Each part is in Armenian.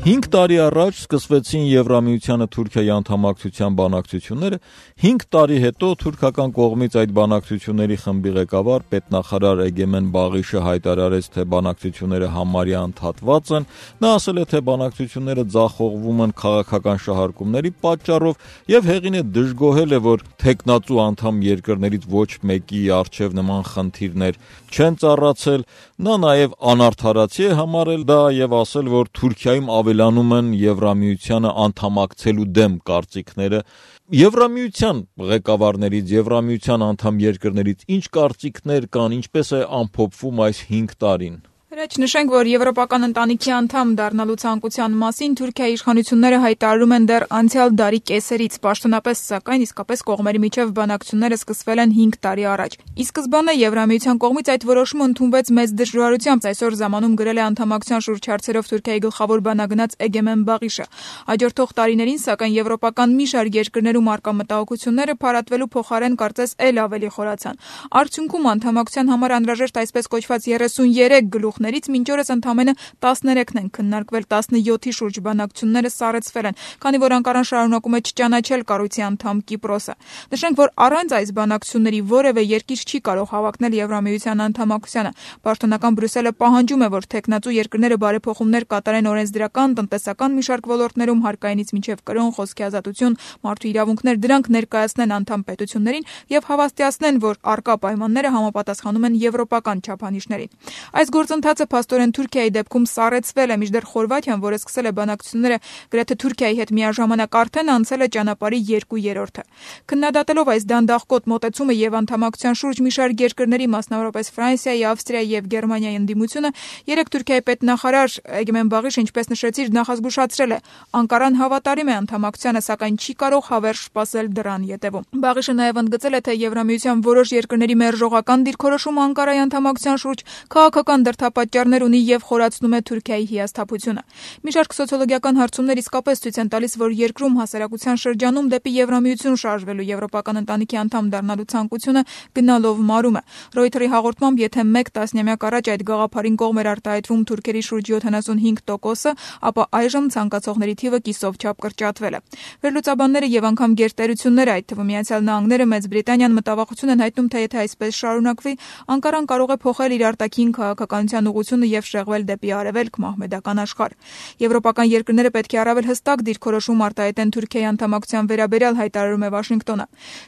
5 տարի առաջ սկսվեցին Եվրամիությանը Թուրքիայի անդամակցության բանակցությունները, 5 տարի հետո թուրքական կողմից այդ բանակցությունների խմբի ղեկավար պետնախարար Էգեմեն Բաղիշը հայտարարեց, թե բանակցությունները համարյա ընդհատված են, նա ասել է, թե բանակցությունները ձախողվում են քաղաքական շահարկումների պատճառով եւ հեղին է դժգոհել է, որ թեկնածու անդամ երկրներից ոչ մեկի առջև նման խնդիրներ չեն ծառացել, նա նաեւ անարդարացի է համարել դա եւ ասել, որ Թուրքիայում ավելանում են Եվրամիությանը անդամակցելու դեմ կարծիքները։ Եվրամիության ղեկավարներից, Եվրամիության անդամ երկրներից ինչ կարծիքներ կան, ինչպես է ամփոփվում այս 5 տարին։ Հրաչ նշենք, որ Եվրոպական ընտանիքի անդամ դառնալու ցանկության մասին Թուրքիայի իշխանությունները հայտարարում են դեռ անցյալ դարի կեսերից, պաշտոնապես սակայն իսկապես կողմերի միջև բանակցությունները սկսվել են 5 տարի առաջ։ Ի սկզբանե Եվրամիության կողմից այդ որոշումը ընդունվեց մեծ դժվարությամբ, այսօր ժամանում գրել է անդամակցության շուրջ հարցերով Թուրքիայի գլխավոր բանագնաց Էգեմեն Բաղիշը։ Հաջորդող տարիներին, սակայն եվրոպական մի շարք երկրներում արկա մտահոգությունները փարատվելու փոխարեն կարծես էլ ավելի խորացան։ Արդյունքում անդամակցության համար անհրաժեշտ այսպես կոչված 33 գլուխներից մինչ օրս ընդամենը 13-ն են քննարկվել, 17-ի շուրջ բանակցությունները սառեցվել են, քանի որ Անկարան շարունակում է չճանաչել կառույցի անդամ Կիպրոսը։ Նշենք, որ առանց այս բանակցությունների որևէ երկիր չի կարող հավակնել Եվրամիության անդամակցությանը։ Պաշտոնական Բրյուսելը պահանջում է, որ թեկնածու երկրները բարեփոխումներ կատարեն օրենսդրական, տնտեսական մի շարք ոլորտներում, հարկայինից մինչև կրոն, խոսքի ազատություն, մարդու իրավունքներ, դրանք ներկայացնեն անդամ պետություններին եւ հավաստիացնեն, որ արկա պայմանները համապատասխանում են եվրոպական չափանիշներին։ Այս գործընթացը փաստորեն Թուրքիայի դեպքում սառեցվել է, մինչդեռ Խորվաթիան, որը սկսել է բանակցությունները գրեթե Թուրքիայի հետ միաժամանակ, արդեն անցել է ճանապարհի 2/3-ը։ Քննադատելով այս դանդաղկոտ մոտեցումը եւ անդամակցության շուրջ մի շարք երկրների, մասնավորապես Ֆրանսիայի, Ավստրիայի եւ Գերմանիայի ընդդիմությունը, երեք Թուրքիայի պետնախարար Էգեմեն Բաղիշը, ինչպես նշեցիր, նախազգուշացրել է, Անկարան հավատարիմ է անդամակցությանը, սակայն չի կարող հավերժ սպասել դրան ետևում։ Բաղիշը նաեւ ընդգծել է, թե Եվրամիության որոշ երկրների մերժողական դիրքորոշումը Անկարայի անդամակցության շուրջ քաղաքական դրդապատճառներ ունի եւ խորացնում է Թուրքիայի հիասթափությունը։ Մի շարք սոցիոլոգիական հարցումներ իսկապես ցույց են տալիս, որ երկրում հասարակության շրջանում դեպի Եվրամիություն շարժվելու Եվրոպական ընտանիքի անդամ դառնալու ցանկությունը գնալով մարում է։ Reuters-ի հաղորդմամբ, եթե 1 տասնամյակ առաջ այդ գաղափարին կողմ էր արտահայտվում Թուրքերի շուրջ 75%, ապա այժմ ցանկացողների թիվը կիսով չափ կրճատվել է։ Վերլուծաբանները եւ անգամ գերտերությունները, այդ թվում Միացյալ Նահանգները, Մեծ Բրիտանիան մտավախություն են հայտնում, թե եթե այսպես շարունակվի, Անկարան կարող է փոխել իր արտաքին քաղաքականության ուղղությունը եւ շեղվել դեպի արևելք մահմեդական աշխարհ։ Եվրոպական երկրները պետք է առավել հստակ դիրքորոշում արտահայտեն Թուրքիայի անդամակցության վերաբերյալ, հայտարարում է Վաշինգտոնը։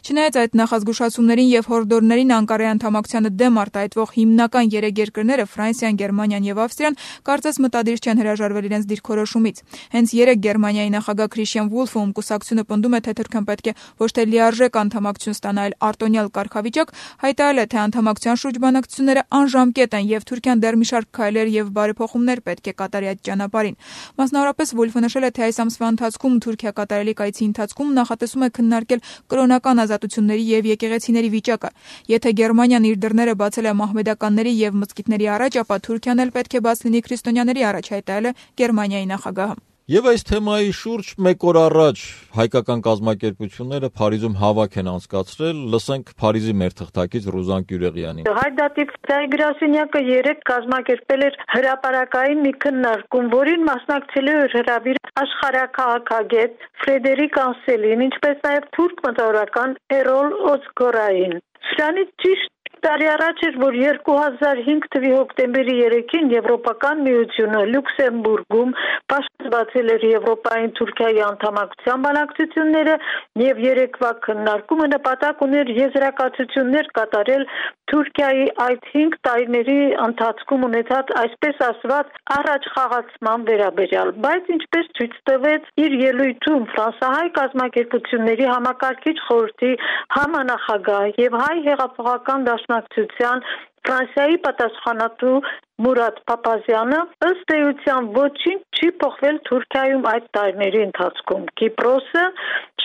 Չնայած այդ նախազգուշացումներին եւ հորդորներին, Անկարայի անդամակցությանը դեմ արտահայտվող հիմնական 3 երկրները՝ Ֆրանսիան, Գերմանիան եւ Ավստրիան, կարծես մտադիր չեն հրաժարվել իրենց դիրքորոշումից։ Հենց 3 Գերմանիայի նախագահ Քրիշտիան Վուլֆը, ում կուսակցությունը պնդում է, թե Թուրքիան պետք է ոչ թե լիարժեք անդամակցություն ստանա, այլ արտոնյալ կարգավիճակ, հայտարարել է, թե անդամակցության շուրջ բանակցությունները անժամկետ են եւ Թուրքիան դեռ մի շարք քայլեր եւ բարեփոխումներ պետք է կատարի այդ ճանապարհին։ Մասնավորապես Վուլֆը նշել է, թե այս ամսվա ընթացքում Թուրքիա կատարելիք այցի ընթացքում նախատեսում է քննարկել կրոնական ազատությունների եւ եկեղեցիների վիճակը։ Եթե Գերմանիան իր դռները բացել է մահմեդականների եւ մզկիթների առաջ, ապա Թուրքիան էլ պետք է բաց լինի քրիստոնյաների առաջ, հայտարարել է Գերմանիայի նախագահը։ Եվ այս թեմայի շուրջ 1 օր առաջ հայկական կազմակերպությունները Փարիզում հավաք են անցկացրել, լսենք Փարիզի մեր թղթակից Ռուզան Կյուրեղյանին։ Հայդատիվ գրասենյակը 3 կազմակերպել էր հրապարակային մի քննարկում, որին մասնակցել էր հրավիր աշխարհաքաղաքագետ Ֆրեդերիկ Անսելին, ինչպես նաև թուրք մտավորական Էրոլ Օզգորային։ Սրանից ճիշտ տարի առաջ էր, որ 2005 թվականի հոկտեմբերի 3-ին Եվրոպական միությունը Լյուքսեմբուրգում բացել էր Եվրոպային Թուրքիայի անդամակցության բանակցությունները եւ երեկվա քննարկումը նպատակ ուներ եզրակացություններ կատարել Թուրքիայի այդ 5 տարիների ընթացքում ունեցած այսպես ասված առաջխաղացման վերաբերյալ, բայց ինչպես ցույց տվեց իր ելույթում ֆրանսահայ կազմակերպությունների համակարգիչ խորհրդի համանախագահ եւ հայ հեղափոխական դաշնակցության Ֆրանսիայի պատասխանատու Մուրադ Փափազյանը, ըստ էության ոչինչ չի փոխվել Թուրքիայում այդ տարիների ընթացքում։ Կիպրոսը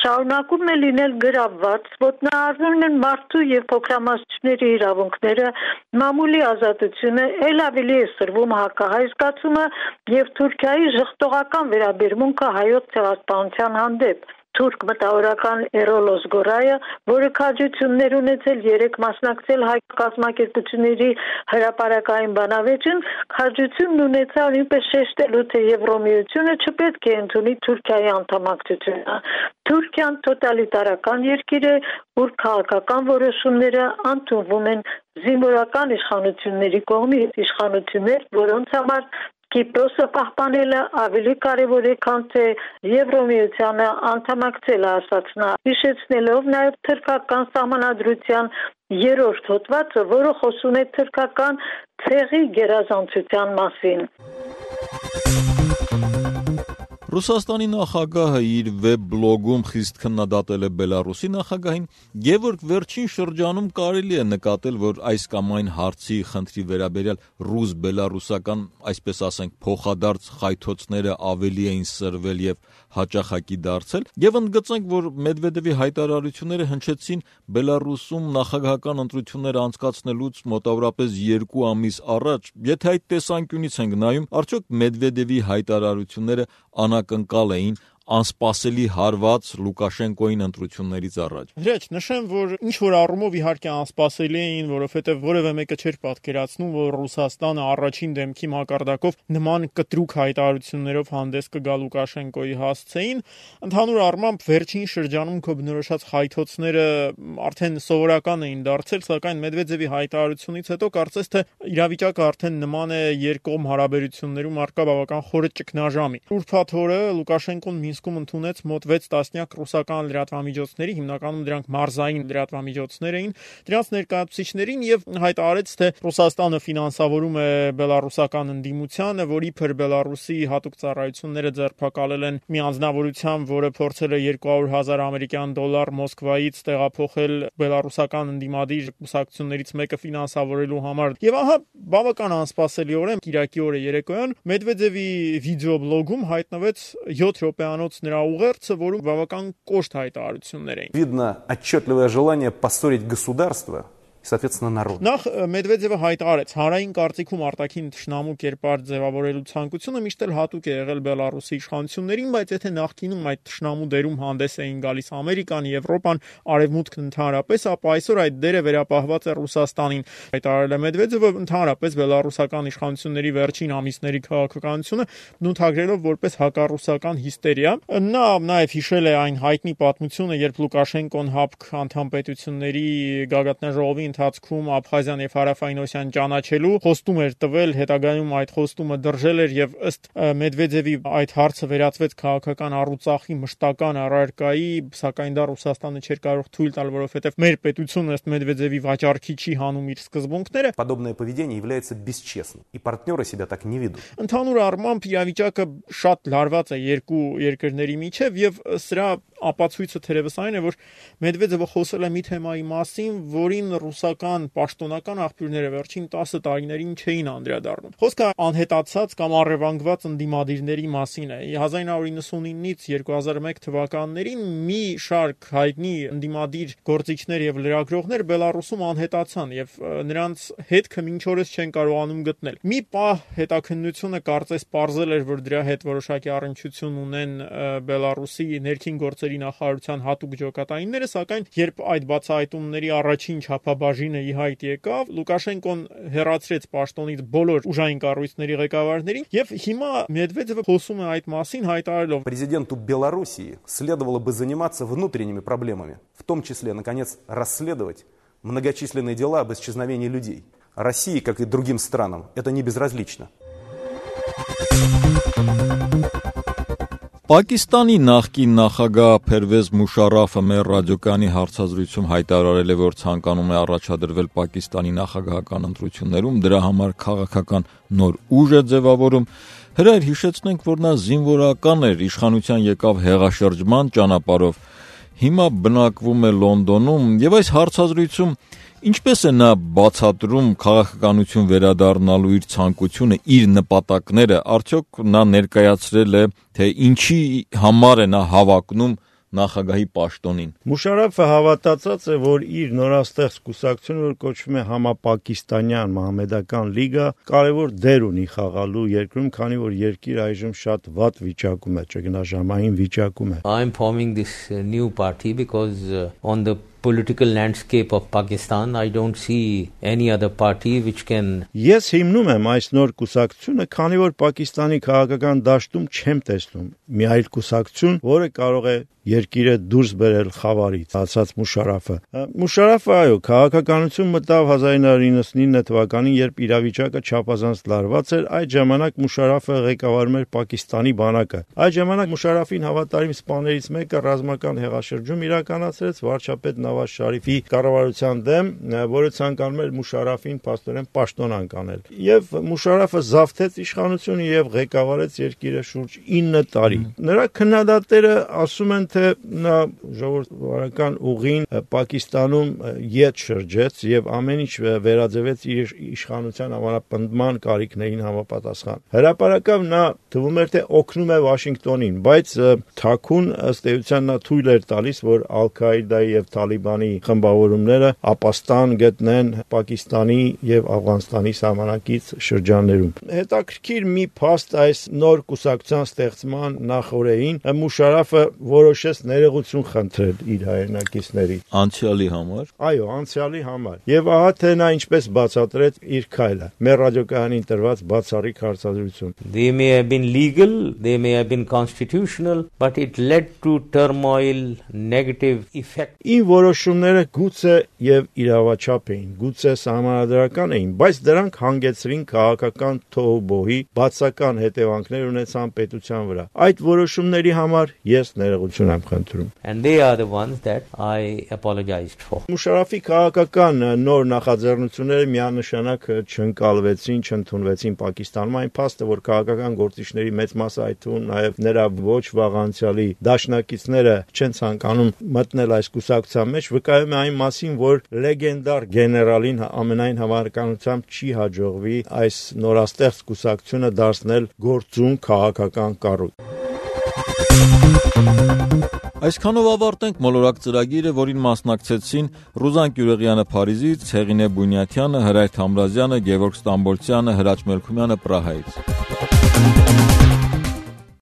շարունակում է լինել գրավված, ոտնահարվում են մարդու եւ փոքրամասնությունների իրավունքները, մամուլի ազատությունը, ել ավելի է սրվում հակահայ զգացումը եւ Թուրքիայի ժխտողական վերաբերմունքը հայոց ցեղասպանության հանդեպ։ թուրք մտավորական Էրոլոս Գորայը, որը քաջություններ ունեցել 3 մասնակցել հայ կազմակերպությունների հրապարակային բանավեճին, քաջությունն ունեցավ նույնպես շեշտելու, թե Եվրոմիությունը չպետք է ընդունի Թուրքիայի անդամակցությունը։ Թուրքիան տոտալիտարական երկիր է, ուր քաղաքական որոշումները ընդունվում են զինվորական իշխանությունների կողմից, իշխանություններ, որոնց համար Կիպրոսը պահպանելը ավելի կարևոր է, քան թե Եվրոմիությանը անդամակցելը, ասաց նա, հիշեցնելով նաև թուրքական սահմանադրության 3-րդ հոդվածը, որը խոսում է թուրքական ցեղի գերազանցության մասին։ Ռուսաստանի նախագահը իր վեբ բլոգում խիստ քննադատել է Բելարուսի նախագահին, եւ որ վերջին շրջանում կարելի է նկատել, որ այս կամ այն հարցի խնդրի վերաբերյալ ռուս-բելարուսական, այսպես ասենք, փոխադարձ խայթոցները ավելի էին սրվել եւ հաճախակի դարձել, եւ ընդգծենք, որ Մեդվեդևի հայտարարությունները հնչեցին Բելարուսում նախագահական ընտրություններ անցկացնելուց մոտավորապես 2 ամիս առաջ։ Եթե այդ տեսանկյունից ենք նայում, արդյոք Մեդվեդևի հայտարարությունները անակնկալ էին անսպասելի հարված Լուկաշենկոյին ընտրություններից առաջ։ Հրեչ, նշեմ, որ ինչ որ առումով իհարկե անսպասելի էին, որովհետև որևէ մեկը չէր պատկերացնում, որ Ռուսաստանը առաջին դեմքի մակարդակով նման կտրուկ հայտարարություններով հանդես կգա Լուկաշենկոյի հասցեին։ Ընդհանուր առմամբ վերջին շրջանում քո բնորոշած խայթոցները արդեն սովորական էին դարձել, սակայն Մեդվեդևի հայտարարությունից հետո կարծես թե իրավիճակը արդեն նման է երկկողմ հարաբերություններում առկա բավական խորը ճգնաժամի։ Ուրբաթ օրը Լուկաշենկոն Մինսկում ընդունեց մոտ 6 տասնյակ ռուսական լրատվամիջոցների, հիմնականում դրանք մարզային լրատվամիջոցներ էին, դրանց ներկայացուցիչներին եւ հայտարարեց, թե Ռուսաստանը ֆինանսավորում է բելարուսական ընդդիմությանը, որ իբր Բելարուսի հատուկ ծառայությունները ձերբակալել են մի անձնավորությամբ, որը փորձել է 200,000 ամերիկյան դոլար Մոսկվայից տեղափոխել բելարուսական ընդդիմադիր կուսակցություններից մեկը ֆինանսավորելու համար։ Եվ ահա բավական անսպասելիորեն Կիրակի օրը երեկոյան Մեդվեդևի վիդեոբլոգում հայտնվեց 7 րոպեանոց նրա ուղերձը, որում բավական կոշտ հայտարարություններ էին։ Видно отчетливое желание поссорить государство. Соответственно, народ. Նախ Մեդվեդևը հայտարարեց, հանրային կարծիքում արտաքին թշնամու կերպար ձևավորելու ցանկությունը միշտ էլ հատուկ է եղել Բելարուսի իշխանություններին, բայց եթե նախկինում այդ թշնամու դերում հանդես էին գալիս Ամերիկան, Եվրոպան, Արևմուտքն ընդհանրապես, ապա այսօր այդ դերը վերապահված է Ռուսաստանին։ Հայտարարել է Մեդվեդևը ընդհանրապես բելարուսական իշխանությունների վերջին ամիսների քաղաքականությունը բնութագրելով որպես հակառուսական հիստերիա։ Նա նաև հիշել է այն հայտնի պատմությունը, երբ Լուկաշենկոն ՀԱՊԿ անդամ պետությունների գագաթնաժողովի ընթացքում Աբխազիան եւ Հարավային Օսիան ճանաչելու խոստում էր տվել, հետագայում այդ խոստումը դրժել էր եւ ըստ Մեդվեդևի այդ հարցը վերածվեց քաղաքական առուծախի մշտական առարկայի, սակայն դա Ռուսաստանը չէր կարող թույլ տալ, որովհետեւ մեր պետությունը ըստ Մեդվեդևի վաճառքի չի հանում իր սկզբունքները։ Подобное поведение является бесчестным, и партнеры себя так не ведут. Ընդհանուր առմամբ իրավիճակը շատ լարված է երկու երկրների միջև եւ սրա ապացույցը թերևս այն է, որ Մեդվեդևը խոսել է մի թեմայի մասին, որին ռուսական պաշտոնական աղբյուրները վերջին 10 տարիներին չէին անդրադառնում։ Խոսքը անհետացած կամ առևանգված ընդդիմադիրների մասին է։ 1999-ից 2001 թվականներին մի շարք հայտնի ընդդիմադիր գործիչներ եւ լրագրողներ Բելարուսում անհետացան եւ նրանց հետքը մինչ օրս չեն կարողանում գտնել։ Մի պահ հետաքննությունը կարծես պարզել էր, որ դրա հետ որոշակի առնչություն ունեն Բելարուսի ներքին գործերի նախարարության հատուկ ջոկատայինները, սակայն երբ այդ բացահայտումների առաջին չափաբաժինը ի հայտ եկավ, Լուկաշենկոն հեռացրեց պաշտոնից բոլոր ուժային կառույցների ղեկավարներին եւ հիմա Մեդվեդևը խոսում է այդ մասին հայտարարելով. Президенту Белоруссии следовало бы заниматься внутренними проблемами, в том числе, наконец, расследовать многочисленные дела об исчезновении людей. России, как и другим странам, это не безразлично. Պակիստանի նախկին նախագահ Փերվեզ Մուշարաֆը մեր ռադիոկայանի հարցազրույցում հայտարարել է, որ ցանկանում է առաջադրվել Պակիստանի նախագահական ընտրություններում, դրա համար քաղաքական նոր ուժ է ձևավորում։ Հրայր հիշեցնենք, որ նա զինվորական էր, իշխանության եկավ հեղաշրջման ճանապարհով, հիմա բնակվում է Լոնդոնում եւ այս հարցազրույցում ինչպես է նա բացատրում քաղաքականություն վերադառնալու իր ցանկությունը, իր նպատակները, արդյոք նա ներկայացրել է, թե ինչի համար է նա հավակնում նախագահի պաշտոնին։ Մուշարաֆը հավատացած է, որ իր նորաստեղծ կուսակցությունը, որ կոչվում է Համապակիստանյան Մահամեդական լիգա, կարևոր դեր ունի խաղալու երկրում, քանի որ երկիրը այժմ շատ վատ վիճակում է, ճգնաժամային վիճակում է։ I'm forming this new party because on the political landscape of Pakistan, I don't see any other party which can... Ես հիմնում եմ այս նոր կուսակցությունը, քանի որ Պակիստանի քաղաքական դաշտում չեմ տեսնում մի այլ կուսակցություն, որը կարող է երկիրը դուրս բերել խավարից, ասաց Մուշարաֆը։ Մուշարաֆը, այո, քաղաքականություն մտավ 1999 թվականին, երբ իրավիճակը չափազանց լարված էր, այդ ժամանակ Մուշարաֆը ղեկավարում էր Պակիստանի բանակը։ Այդ ժամանակ Մուշարաֆին հավատարիմ սպաներից մեկը ռազմական հեղաշրջում իրականացրեց վարչապետ Նավազ Շարիֆի կառավարության դեմ, որը ցանկանում էր Մուշարաֆին փաստորեն պաշտոնանկ անել։ Եվ Մուշարաֆը զավթեց իշխանությունը եւ ղեկավարեց երկիրը շուրջ 9 տարի։ Նրա քննադատները ասում են, թե նա ժողովրդավարական ուղին Պակիստանում ետ շրջեց եւ ամեն ինչ վերաձևեց իր իշխանության համապնդման կարիքներին համապատասխան։ Հրապարակավ նա թվում էր, թե օգնում է Վաշինգտոնին, բայց թաքուն ըստ էության նա թույլ էր տալիս, որ Ալ-Քաիդայի եւ Թալիբանի խմբավորումները ապաստան գտնեն Պակիստանի եւ Աֆղանստանի սահմանակից շրջաններում։ Հետաքրքիր մի փաստ այս նոր կուսակցության ստեղծման նախօրեին Մուշարաֆը որոշեց ներողություն խնդրել իր հայրենակիցների անցյալի համար։ Այո, անցյալի համար։ Եվ ահա թե նա ինչպես բացատրեց իր քայլը։ Մեր ռադիոկայանին տրված բացառիկ հարցազրույցում։ They may have been legal, they may have been constitutional, but it led to turmoil, negative effect. Ին որոշումները գուցե եւ իրավաչափ էին, գուցե սահմանադրական էին, բայց դրանք հանգեցրին քաղաքական թոհուբոհի, բացական հետևանքներ ունեցան պետության վրա։ Այդ որոշումների համար ես ներողություն եմ խնդրում։ And they are the ones that I apologized for. Մուշարաֆի քաղաքական նոր նախաձեռնությունները միանշանակ չընկալվեցին, չընդունվեցին Պակիստանում, այն փաստը, որ քաղաքական գործիչների մեծ մասը, այդ թվում նաև նրա ոչ վաղ անցյալի դաշնակիցները չեն ցանկանում մտնել այս կուսակցության մեջ, վկայում է այն մասին, որ լեգենդար գեներալին ամենայն հավանականությամբ չի հաջողվի այս նորաստեղծ կուսակցությունը դարձնել գործուն քաղաքական կառույց։ Այսքանով ավարտենք մոլորակ ծրագիրը, որին մասնակցեցին Ռուզան Կյուրեղյանը Փարիզից, Ցեղինե Բունյաթյանը, Հրայր Թամրազյանը, Գևորգ Ստամբոլցյանը, Հրաչ Մելքումյանը Պրահայից։